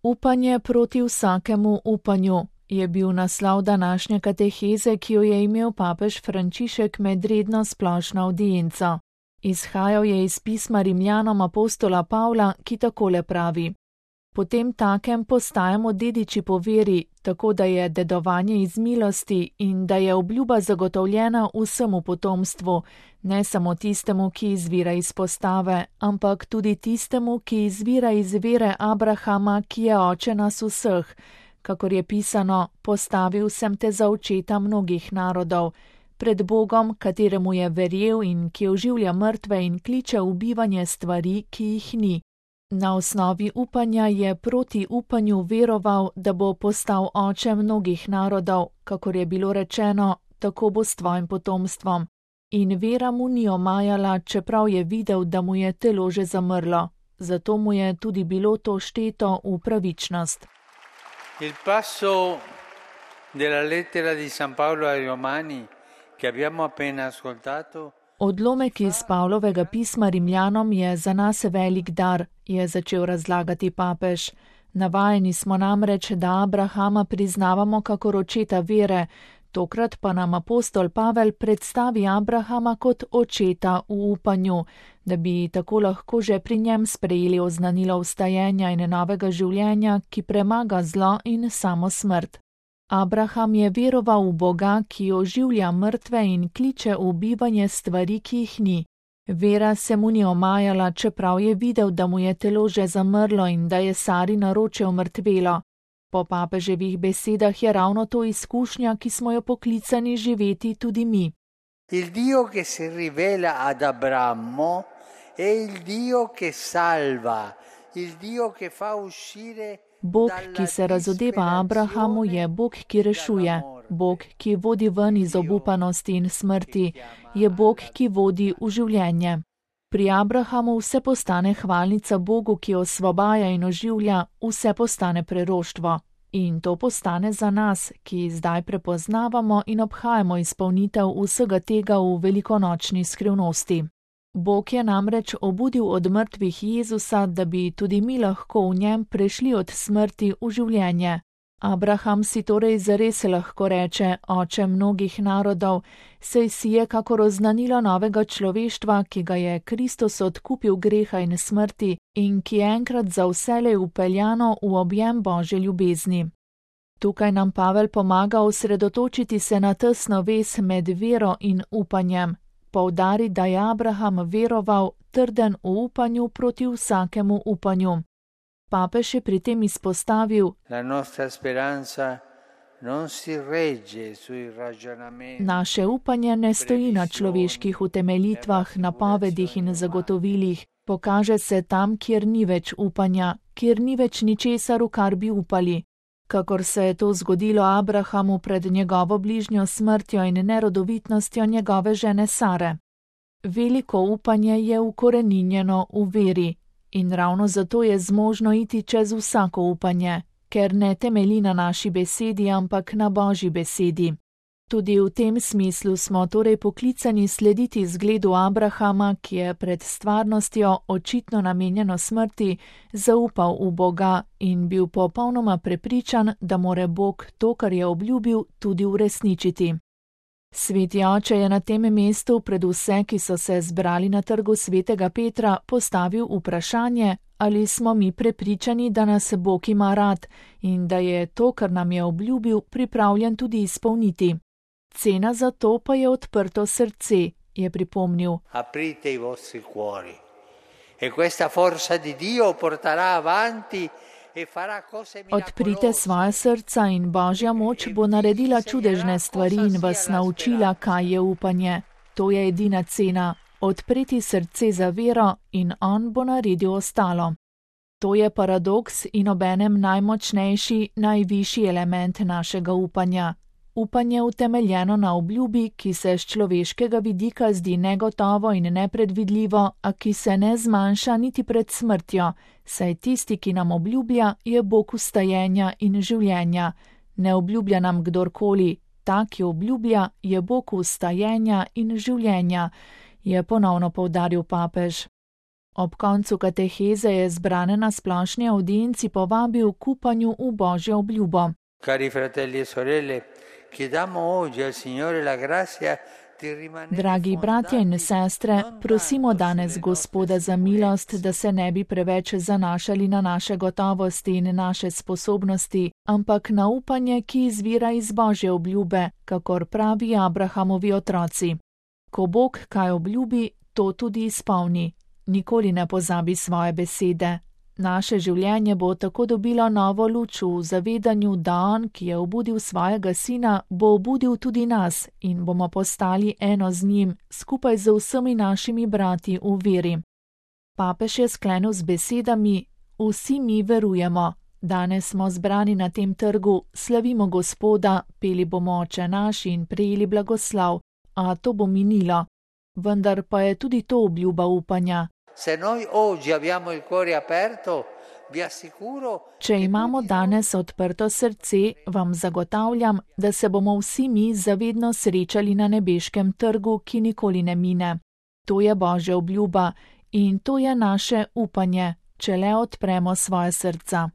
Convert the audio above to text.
Upanje proti vsakemu upanju je bil naslov današnje kateheze, ki jo je imel papež Frančišek med redno splošno avdienco. Izhajal je iz pisma Rimljanom apostola Pavla, ki takole pravi: Potem takem postajamo dediči po veri, tako da je dedovanje iz milosti in da je obljuba zagotovljena vsemu potomstvu, ne samo tistemu, ki izvira iz postave, ampak tudi tistemu, ki izvira iz vere Abrahama, ki je oče nas vseh, kakor je pisano: postavil sem te za očeta mnogih narodov, pred Bogom, kateremu je verjel in ki oživlja mrtve in kliče v bivanje stvari, ki jih ni. Na osnovi upanja je proti upanju veroval, da bo postal oče mnogih narodov, kakor je bilo rečeno, tako bo s tvojim potomstvom. In vera mu ni omajala, čeprav je videl, da mu je telo že zamrlo. Zato mu je tudi bilo to šteto v pravičnost. Il passo della lettera di San Paolo ai Romani, che abbiamo appena ascoltato, Odlomek iz Pavlovega pisma Rimljanom je za nas velik dar, je začel razlagati papež. Navajeni smo namreč, da Abrahama priznavamo kakor očeta vere, tokrat pa nam apostol Pavel predstavi Abrahama kot očeta v upanju, da bi tako lahko že pri njem sprejeli oznanilo vstajenja in novega življenja, ki premaga zlo in samo smrt. Abraham je veroval v Boga, ki oživlja mrtve in kliče v bivanje stvari, ki jih ni. Vera se mu ni omajala, čeprav je videl, da mu je telo že zamrlo in da je Sari naroče umrtvelo. Po papeževih besedah je ravno to izkušnja, ki smo jo poklicani živeti tudi mi. Il Dio che si rivela ad Abramo è il Dio che salva, il Dio che fa uscire. Bog, ki se razodeva Abrahamu, je Bog, ki rešuje. Bog, ki vodi ven iz obupanosti in smrti, je Bog, ki vodi v življenje. Pri Abrahamu vse postane hvalnica Bogu, ki osvobaja in oživlja, vse postane preroštvo. In to postane za nas, ki zdaj prepoznavamo in obhajamo izpolnitev vsega tega v velikonočni skrivnosti. Bog je namreč obudil od mrtvih Jezusa, da bi tudi mi lahko v njem prešli od smrti v življenje. Abraham si torej zares lahko reče oče mnogih narodov, saj si je kakor oznanilo novega človeštva, ki ga je Kristus odkupil greha in smrti in ki je enkrat za vselej upeljano v objem Božje ljubezni. Tukaj nam Pavel pomaga osredotočiti se na tesno vez med vero in upanjem. Poudari, da je Abraham veroval, trden v upanju proti vsakemu upanju. Papež je pri tem izpostavil: Naše upanje ne stoji na človeških utemeljitvah, napovedih in zagotovilih. Pokaže se tam, kjer ni več upanja, kjer ni več ničesar, v kar bi upali. Kakor se je to zgodilo Abrahamu pred njegovo bližnjo smrtjo in nerodovitnostjo njegove žene Sare. Veliko upanje je ukoreninjeno v veri in ravno zato je zmožno iti čez vsako upanje, ker ne temelji na naši besedi, ampak na Božji besedi. Tudi v tem smislu smo torej poklicani slediti zgledu Abrahama, ki je pred stvarnostjo, očitno namenjeno smrti, zaupal v Boga in bil popolnoma prepričan, da more Bog to, kar je obljubil, tudi uresničiti. Sveti oče je na tem mestu pred vse, ki so se zbrali na trgu svetega Petra, postavil vprašanje, ali smo mi prepričani, da nas Bog ima rad in da je to, kar nam je obljubil, pripravljen tudi izpolniti. Cena za to pa je odprto srce, je pripomnil. Aprite i vostri cuori. E questa forza di Dio porterà avanti e farà cose miracolose. Odprite svoje srca in Božja moč bo naredila čudežne stvari in vas naučila, kaj je upanje. To je edina cena. Odpreti srce za vero in on bo naredil ostalo. To je paradoks in obenem najmočnejši, najvišji element našega upanja. Upanje utemeljeno na obljubi, ki se z človeškega vidika zdi negotovo in nepredvidljivo, a ki se ne zmanjša niti pred smrtjo, saj tisti, ki nam obljublja, je Bog vstajenja in življenja. Ne obljublja nam kdorkoli, ta, ki obljublja, je Bog vstajenja in življenja, je ponovno poudaril papež. Ob koncu kateheze je zbrane na splošni audienci povabil k upanju v Božjo obljubo. Cari fratelli e sorelle, chiediamo oggi al Signore la grazia di rimanere Dragi bratje in sestre, prosimo danes Gospoda za milost, da se ne bi preveč zanašali na naše gotovosti in naše sposobnosti, ampak na upanje, ki izvira iz Božje obljube, kakor pravi Abrahamovi otroci. Ko Bog kaj obljubi, to tudi izpolni. Nikoli ne pozabi svoje besede. Naše življenje bo tako dobilo novo luč v zavedanju, da On, ki je obudil svojega Sina, bo obudil tudi nas in bomo postali eno z njim, skupaj z vsemi našimi brati v veri. Papež je sklenil z besedami: Vsi mi verujemo. Danes smo zbrani na tem trgu, slavimo Gospoda, peli bomo Oče naš in prejeli blagoslov, a to bo minilo. Vendar pa je tudi to obljuba upanja. Če imamo danes odprto srce, vam zagotavljam, da se bomo vsi mi zavedno srečali na nebeškem trgu, ki nikoli ne mine. To je Božja obljuba in to je naše upanje, če le odpremo svoje srca.